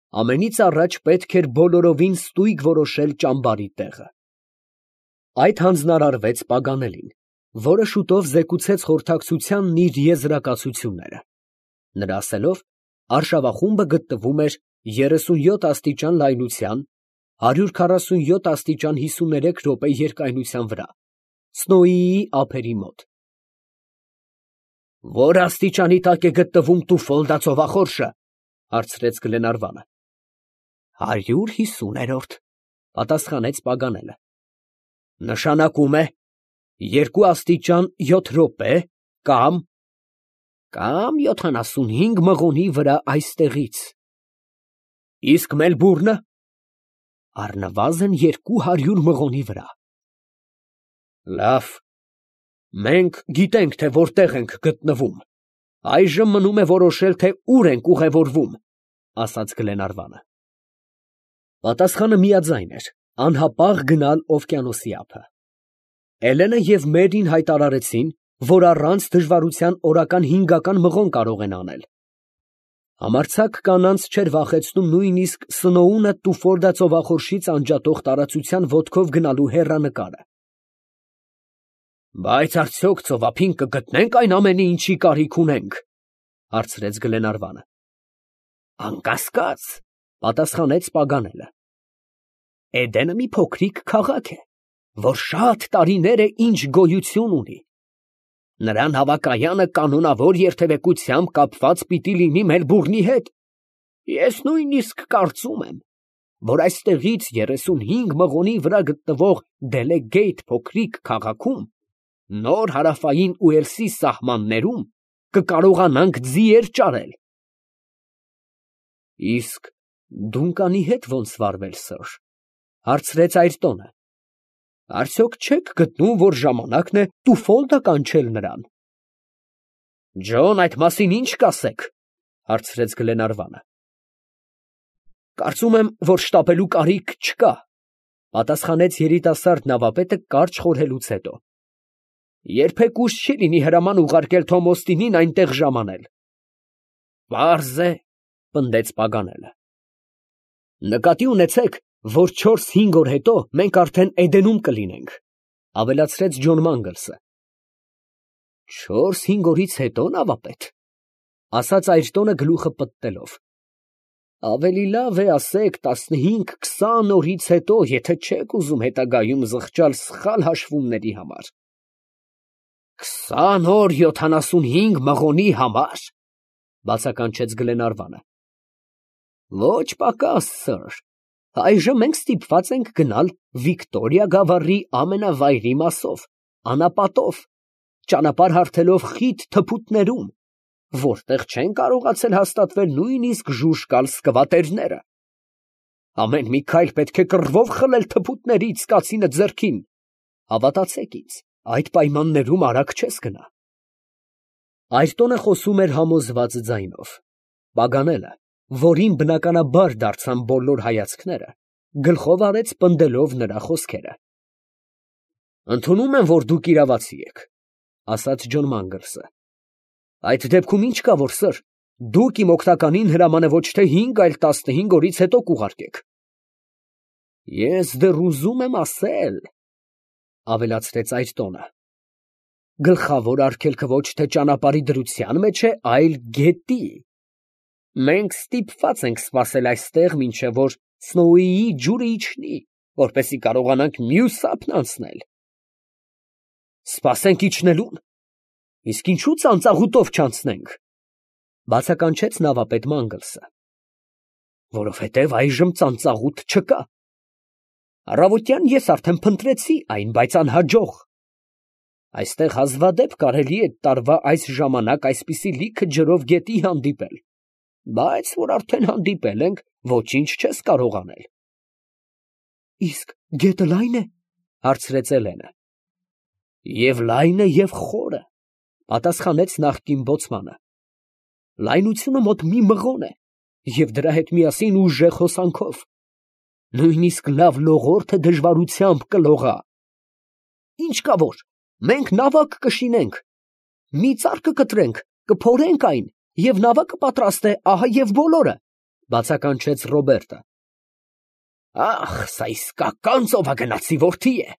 Ամենից առաջ պետք էր բոլորովին ստույգ որոշել ճամբարի տեղը։ Այդ հանձնարարվեց Պագանելին, որը շուտով զեկուցեց խորհրդակցությանն իր եզրակացությունները։ Նրա ասելով, արշավախումբը գտնվում էր 37 աստիճան լայնության, 147 աստիճան 53 րոպե երկայնության վրա, Սնոուիի ափերի մոտ։ «Ո՞ր աստիճանի տակ է գտնվում Տուֆոլդա ծովախորշը, ֊ հարցրեց Գլենարվանը։ 150-րդ, ֊ պատասխանեց Պագանելը։ Նշանակում է 2 աստիճան 7 րոպե կամ 75 մղոնի վրա այստեղից։ Իսկ Մելբուրնը առնվազն 200 մղոնի վրա։ Լավ, մենք գիտենք, թե որտեղ ենք գտնվում, այժմ մնում է որոշել, թե ուր ենք ուղևորվում, ֊ ասաց Գլենարվանը։ Պատասխանը միաձայն էր. անհապաղ գնալ օվկիանոսի ափը։ Էլենը և Մերին հայտարարեցին, որ առանց դժվարության օրական 5 մղոն կարող են անել։ Համարձակ կանանց չէր վախեցնում նույնիսկ Սնոունը Տուֆոլդա ծովախորշից անջատող տարածության ոտքով գնալու հեռանկարը։ Բայց արդյոք ծովափին կգտնենք այն ամենի, ինչի կարիք ունենք, ֊ հարցրեց Գլենարվանը։ Անկասկած, ֊ պատասխանեց Պագանելը։ Էդենը մի փոքրիկ քաղաք է, որ շատ տարիներ է ինչ գոյություն ունի։ Նրան հավակայանը կանոնավոր երթևեկությամբ կապված պիտի լինի Մելբուրնի հետ։ Ես նույնիսկ կարծում եմ, որ այստեղից 35 մղոնի վրա գտնվող Դելեգեյթ փոքրիկ քաղաքում, նոր հարավային Ուելսի սահմաններում, կկարողանանք ձիեր ճարել։ Իսկ Դունկանի հետ ո՞նց վարվել, սըր, ֊ հարցրեց Այրտոնը։ Արդյոք չեք գտնում, որ ժամանակն է Տուֆոլդա կանչել նրան։ Ջոն, այդ մասին ի՞նչ կասեք, ֊ հարցրեց Գլենարվանը։ Կարծում եմ, որ շտապելու կարիք չկա, ֊ պատասխանեց երիտասարդ նավապետը կարճ խորհելուց հետո։ Երբեք ուշ չի լինի հրաման ուղարկել Թոմ Օստինին այնտեղ ժամանել։ Պարզ է, ֊ պնդեց Պագանելը։ Նկատի ունեցեք, որ 4-5 օր հետո մենք արդեն Էդենում կլինենք, ֊ ավելացրեց Ջոն Մանգլսը։ 4-5 օրից հետո, նավապետ, ֊ ասաց Այրտոնը գլուխը պտտելով։ Ավելի լավ է ասեք 15-20 օրից հետո, եթե չեք ուզում հետագայում զղջալ սխալ հաշվումների համար։ 20 օր 75 մղոնի համար, ֊ բացականչեց Գլենարվանը։ Ոչ պակաս, սըր, այժմ մենք ստիպված ենք գնալ Վիկտորիա գավառի ամենավայրի մասով, անապատով, ճանապարհ հարթելով խիտ թփուտներում, որտեղ չեն կարողացել հաստատվել նույնիսկ ժուժկալ սկվատերները։ Ամեն մի քայլ պետք է կռվով խլել թփուտներից կացինը ձեռքին։ Հավատացեք ինձ, այդ պայմաններում արագ չես գնա։ Այրտոնը խոսում էր համոզված ձայնով։ Պագանելը, որին բնականաբար դարձան բոլոր հայացքները, գլխով արեց պնդելով նրա խոսքերը։ Ընդունում եմ, որ դուք իրավացի եք, ֊ ասաց Ջոն Մանգլսը։ Այդ դեպքում ի՞նչ կա, որ, սըր, դուք իմ օգնականին հրամանը ոչ թե 5, այլ 15 օրից հետո կուղարկեք։ Ես դեռ ուզում եմ ասել, ֊ ավելացրեց Այրտոնը, գլխավոր արգելքը ոչ թե ճանապարհի դրության մեջ է, այլ գետի։ Մենք ստիպված ենք սպասել այստեղ, մինչև որ Սնոուիի ջուրը իջնի, որպեսզի կարողանանք մյուս ափն անցնել։ Սպասենք իջնելուն, իսկ ինչու ծանծաղուտով չանցնենք, ֊ բացականչեց նավապետ Մանգլսը։ Որովհետև այժմ ծանծաղուտ չկա։ Առավոտյան ես արդեն փնտրեցի այն, բայց անհաջող։ Այստեղ հազվադեպ կարելի է տարվա այս ժամանակ այսպիսի լիքը ջրով գետի հանդիպել, բայց որ արդեն հանդիպել ենք, ոչինչ չես կարող անել։ Իսկ գետը լայն է, ֊ հարցրեց Էլենը։ Եվ լայն է, և խորը, ֊ պատասխանեց նախկին բոցմանը։ Լայնությունը մոտ մի մղոն է, և դրա հետ միասին ուժեղ հոսանքով։ Նույնիսկ լավ լողորդը դժվարությամբ կլողա։ Ինչ կա որ, մենք նավակ կշինենք, մի ծառ կկտրենք, կփորենք այն, և նավակը պատրաստ է, ահա և բոլորը։ Բացականչեց Ռոբերտը։ Ախ, սա իսկական ծովագնացի որդի է,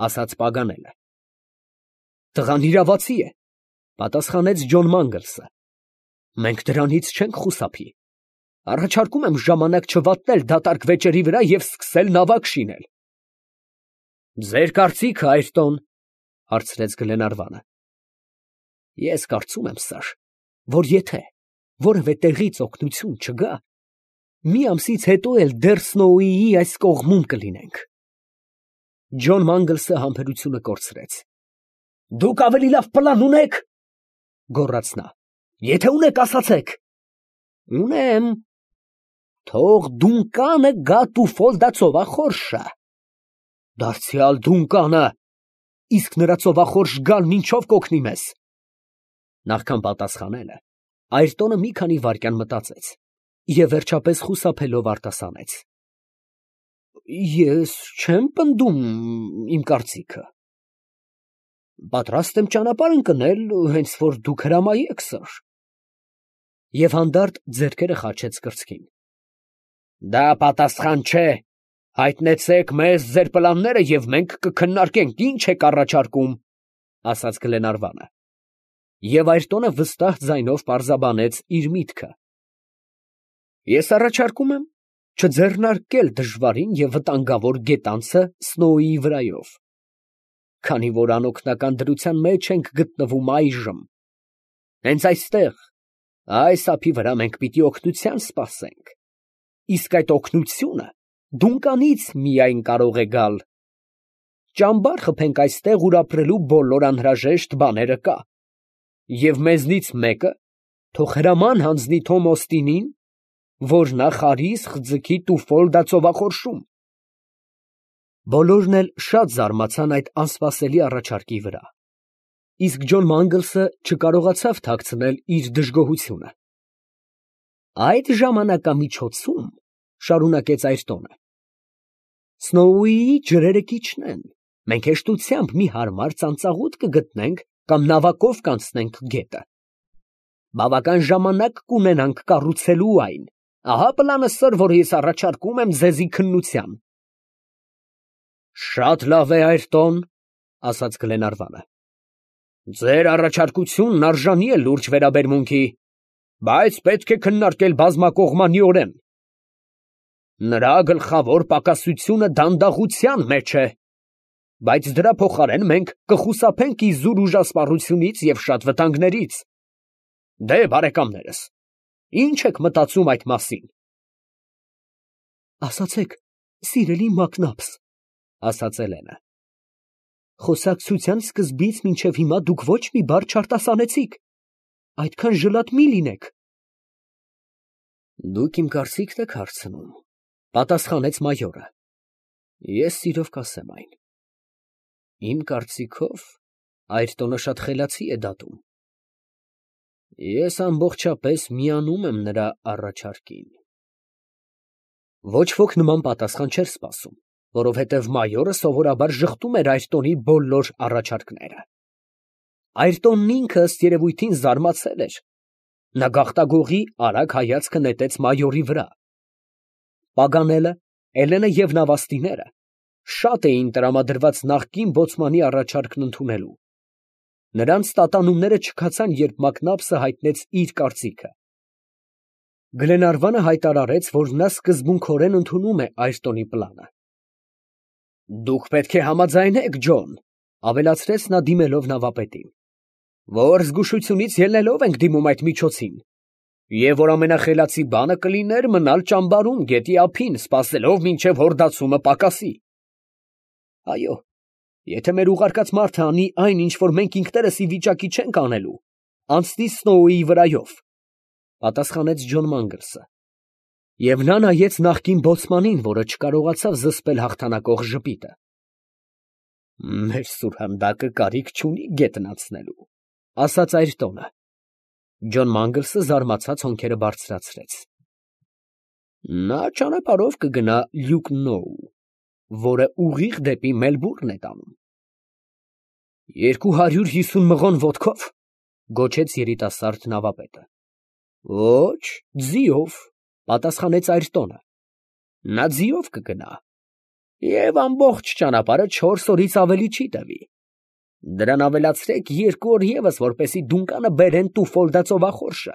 ասաց Պագանելը։ Տղան իրավացի է, պատասխանեց Ջոն Մանգլսը։ Մենք դրանից չենք խուսափի։ Առաջարկում եմ ժամանակ չվատնել դատարկ վեճերի վրա և սկսել նավակ շինել։ Ձեր կարծիքը, Այրտոն, հարցրեց Գլենարվանը։ Ես կարծում եմ, սար, որ եթե որևէ տեղից օգնություն չգա, մի ամսից հետո էլ դեռ Սնոուիի այս կողմում կլինենք։ Ջոն Մանգլսը համբերությունը կորցրեց։ Դուք ավելի լավ պլան ունեք, գոռաց նա։ Եթե ունեք, ասացեք։ Ունեմ։ Թող Դունկանը գա Տուֆոլդա ծովախորշը։ Դարձյալ Դունկանը, իսկ նրա ծովախորշ գալն ինչով կօգնի մեզ։ Նախքան պատասխանելը, Այրտոնը մի քանի վայրկյան մտածեց և վերջապես խուսափելով արտասանեց. Ես չեմ պնդում իմ կարծիքը։ Պատրաստ եմ ճանապարհ ընկնել, հենց որ դուք հրամայեք, սըր։ Եվ հանդարտ ձեռքերը խաչեց կրծքին։ Դա պատասխան չէ։ Հայտնեցեք մեզ ձեր պլանները և մենք կքննարկենք ինչ եք առաջարկում, ասաց Գլենարվանը։ Եվ Այրտոնը վստահ ձայնով պարզաբանեց իր միտքը։ Ես առաջարկում եմ չձեռնարկել դժվարին և վտանգավոր գետանցը Սնոուիի վրայով, քանի որ անօգնական դրության մեջ ենք գտնվում այժմ։ Հենց այստեղ, այս ափի վրա մենք պիտի օգնության սպասենք, իսկ այդ օգնությունը Դունկանից միայն կարող է գալ։ Ճամբար խփենք այստեղ, ուր ապրելու բոլոր անհրաժեշտ բաները կա, և մեզնից մեկը թող հրաման հանձնի Թոմ Օստինին, որ նա խարիսխ ձգի Տուֆոլդա ծովախորշում։ Բոլորն էլ շատ զարմացան այդ անսպասելի առաջարկի վրա, իսկ Ջոն Մանգլսը չկարողացավ թաքցնել իր դժգոհությունը։ Այդ ժամանակամիջոցում, շարունակեց Այրտոնը, Սնոուիի ջրերը կիջնեն, մենք հեշտությամբ մի հարմար ծանծաղուտ կգտնենք կամ նավակով կանցնենք գետը։ Բավական ժամանակ կունենանք կառուցելու այն։ Ահա պլանը, սըր, որ ես առաջարկում եմ ձեզի քննության։ Շատ լավ է, Այրտոն, ասաց Գլենարվանը։ Ձեր առաջարկությունն արժանի է լուրջ վերաբերմունքի, բայց պետք է քննարկել բազմակողմանիորեն։ Նրա գլխավոր պակասությունը դանդաղության մեջ է, բայց դրա փոխարեն մենք կխուսափենք իզուր ուժասպառությունից և շատ վտանգներից։ Դե, բարեկամներս, ինչ եք մտածում այդ մասին։ Ասացեք, սիրելի Մակնաբս, ասաց Էլենը, խոսակցության սկզբից մինչև հիմա դուք ոչ մի բառ չարտասանեցիք, այդքան ժլատ մի լինեք։ Դուք իմ կարծիքն եք հարցնում, պատասխանեց մայորը։ Ես սիրով կասեմ այն։ Իմ կարծիքով Այրտոնը շատ խելացի է դատում։ Ես ամբողջապես միանում եմ նրա առաջարկին։ Ոչ ոք նման պատասխան չէր սպասում, որովհետև մայորը սովորաբար ժխտում էր Այրտոնի բոլոր առաջարկները։ Այրտոնն ինքը ըստ երևույթին զարմացել էր։ Նա գաղտագողի արագ հայացքը նետեց մայորի վրա։ Պագանելը, Էլենը և նավաստիները շատ էին տրամադրված նախկին բոցմանի առաջարկն ընդունելու։ Նրանց տատանումները չքացան, երբ Մակնաբսը հայտնեց իր կարծիքը։ Գլենարվանը հայտարարեց, որ նա սկզբունքորեն ընդունում է Այրտոնի պլանը։ Դուք պետք է համաձայնեք, Ջոն, ավելացրեց նա դիմելով նավապետին, որ զգուշությունից ելնելով ենք դիմում այդ միջոցին, և որ ամենախելացի բանը կլիներ մնալ ճամբարում գետի ափին, սպասելով մինչև հորդացումը պակասի։ Այո, եթե մեր ուղարկած մարդը անի այն, ինչ որ մենք ինքներս ի վիճակի չենք անելու, անցնի Սնոուիի վրայով, պատասխանեց Ջոն Մանգլսը, և նա նայեց նախկին բոցմանին, որը չկարողացավ զսպել հաղթանակող ժպիտը։ Մեր սուրհանդակը կարիք չունի գետն անցնելու, ասաց Այրտոնը։ Ջոն Մանգլսը զարմացած հոնքերը բարձրացրեց։ Նա ճանապարհով կգնա Լյուկնոու, որը ուղիղ դեպի Մելբուրն է տանում։ 250 մղոն ոտքով, գոչեց երիտասարդ նավապետը։ Ոչ, ձիով, Պատասխանեց Այրտոնը։ Նա ձիով կգնա, և ամբողջ ճանապարհը 4 օրից ավելի չի տևի։ Դրան ավելացրեք 2 օր ևս, որպեսզի դունկանը բերեն Տուֆոլդա ծովախորշը,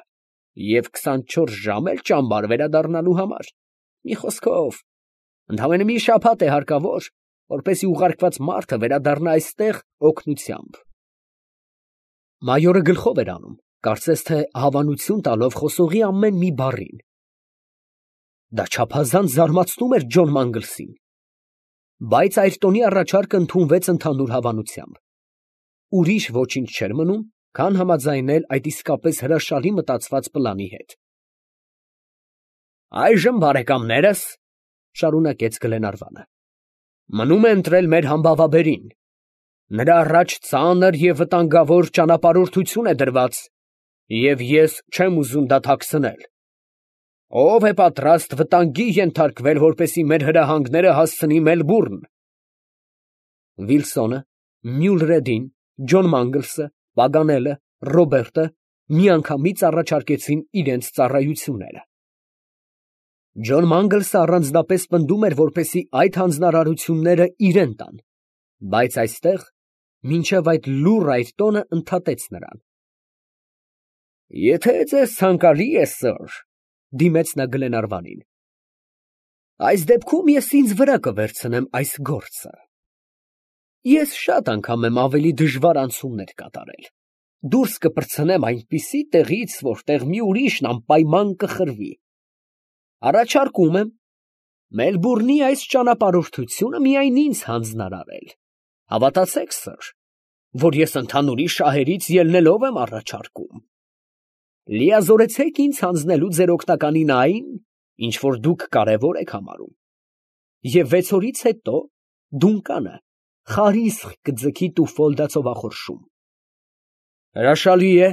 և 24 ժամ էլ ճամբար վերադառնալու համար։ Մի խոսքով, ընդամենը մի շաբաթ է հարկավոր, որպեսզի ուղարկված մարդը վերադառնա այստեղ օգնությամբ։ Մայորը գլխով էր անում, կարծես թե հավանություն տալով խոսողի ամեն մի բառին։ Դա չափազանց զարմացնում էր Ջոն Մանգլսին, բայց Այրտոնի առաջարկը ընդունվեց ընդհանուր հավանությամբ։ Ուրիշ ոչինչ չէր մնում, քան համաձայնել այդ իսկապես հրաշալի մտածված պլանի հետ։ Այժմ, բարեկամներս, շարունակեց Գլենարվանը, մնում է ընտրել մեր համբավաբերին։ Նրա առաջ ծանր և վտանգավոր ճանապարհորդություն է դրված, և ես չեմ ուզում դա թաքցնել։ Ո՞վ է պատրաստ վտանգի ենթարկվել, որպեսզի մեր հրահանգները հասցնի Մելբուրն։ Վիլսոնը, Մյուլրեդին, Ջոն Մանգլսը, Պագանելը, Ռոբերտը միանգամից առաջարկեցին իրենց ծառայությունները։ Ջոն Մանգլսը առանձնապես պնդում էր, որպեսզի այդ հանձնարարությունները իրեն տան, բայց այստեղ մինչև այդ լուռ Այրտոնը ընդհատեց նրան։ Եթե ձեզ ցանկալի է, սըր, դիմեց նա Գլենարվանին, այս դեպքում ես ինձ վրա կվերցնեմ այս գործը։ Ես շատ անգամ եմ ավելի դժվար անցումներ կատարել։ Դուրս կպրծնեմ այնպիսի տեղից, որտեղ մի ուրիշն անպայման կխրվի։ Առաջարկում եմ Մելբուրնի այս ճանապարհորդությունը միայն ինձ հանձնարարել։ Հավատացեք, սըր, որ ես ընդհանուրի շահերից ելնելով եմ առաջարկում։ Լիազորեցեք ինձ հանձնելու ձեր օգնականին այն, ինչ որ դուք կարևոր եք համարում, և 6 օրից հետո դունկանը խարիսխ կձգի Տուֆոլդա ծովախորշում։ Հրաշալի է,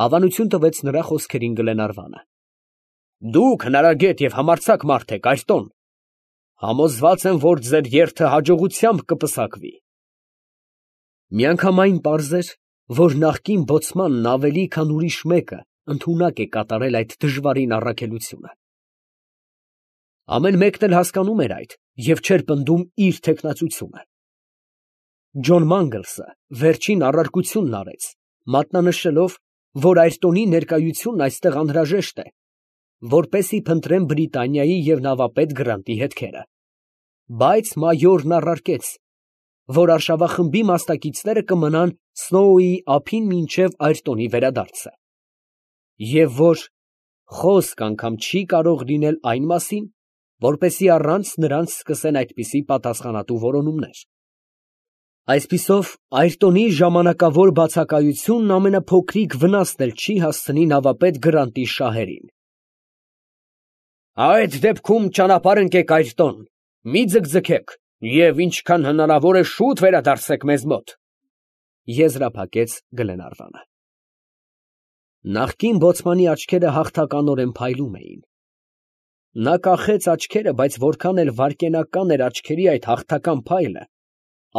հավանություն տվեց նրա խոսքերին Գլենարվանը։ Դուք հնարագետ և համարձակ մարդ եք, Այրտոն։ Համոզված եմ, որ ձեր երթը հաջողությամբ կպսակվի։ Միանգամայն պարզ էր, որ նախկին բոցմանն ավելի քան ուրիշ մեկը ընդունակ է կատարել այդ դժվարին առաքելությունը։ Ամեն մեկն էլ հասկանում էր այդ և չէր պնդում իր թեկնածությունը։ Ջոն Մանգլսը վերջին առարկությունն արեց, մատնանշելով, որ Այրտոնի ներկայությունն այստեղ անհրաժեշտ է, որպեսզի փնտրեն Բրիտանիայի և նավապետ Գրանտի հետքերը, բայց մայորն առարկեց, որ արշավախմբի մասնակիցները կմնան Սնոուի ափին մինչև Այրտոնի վերադարձը, և որ խոսք անգամ չի կարող լինել այն մասին, որպեսզի առանց նրանց սկսեն այդպիսի պատասխանատու որոնումներ։ Այսպիսով, Այրտոնի ժամանակավոր բացակայությունն ամենափոքրիկ վնասն էլ չի հասցնի նավապետ Գրանտի շահերին։ Այդ դեպքում ճանապարհ ընկեք, Այրտոն, մի ձգձգեք և ինչքան հնարավոր է շուտ վերադարձեք մեզ մոտ, եզրափակեց Գլենարվանը։ Նախկին բոցմանի աչքերը հաղթականորեն փայլում էին։ Նա կախեց աչքերը, բայց որքան էլ վայրկենական էր աչքերի այդ հաղթական փայլը,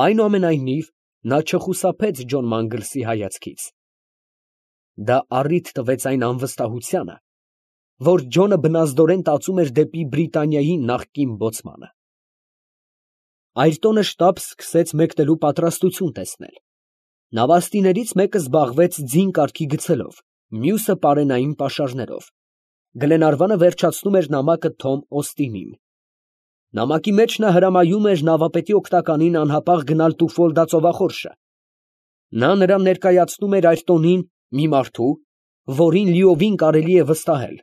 այնուամենայնիվ նա չխուսափեց Ջոն Մանգլսի հայացքից։ Դա առիթ տվեց այն անվստահությանը, որ Ջոնը բնազդորեն տածում էր դեպի Բրիտանիայի նախկին բոցմանը։ Այրտոնը շտապ սկսեց մեկնելու պատրաստություն տեսնել։ Նավաստիներից մեկը զբաղվեց ձին կարգի գցելով, մյուսը պարենային պաշարներով։ Գլենարվանը վերջացնում էր նամակը Թոմ Օստինին։ Նամակի մեջ նա հրամայում էր նավապետի օգնականին անհապաղ գնալ Տուֆոլդա ծովախորշը։ Նա նրան ներկայացնում էր Այրտոնին մի մարդու, որին լիովին կարելի է վստահել։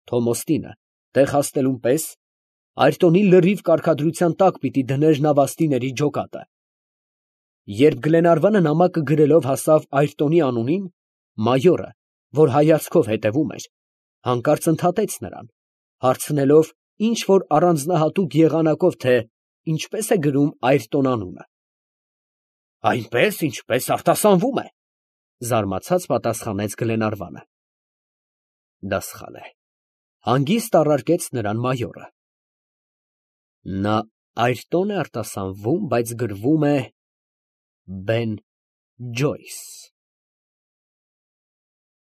Թոմ Օստինը, տեղ հասնելուն պես, Այրտոնի լրիվ կարգադրության տակ պիտի դներ նավաստիների ջոկատը։ Երբ Գլենարվանը նամակը գրելով հասավ Այրտոնի անունին, մայորը, որ հայացքով հետևում էր, հանկարծ ընդհատեց նրան, հարցնելով ինչ֊որ առանձնահատուկ եղանակով, թե ինչպես է գրում Այրտոն անունը։ Այնպես, ինչպես արտասանվում է, զարմացած պատասխանեց Գլենարվանը։ Դա սխալ է, հանգիստ առարկեց նրան մայորը։ Նա Այրտոն է արտասանվում, բայց գրվում է Բեն Ջոյս։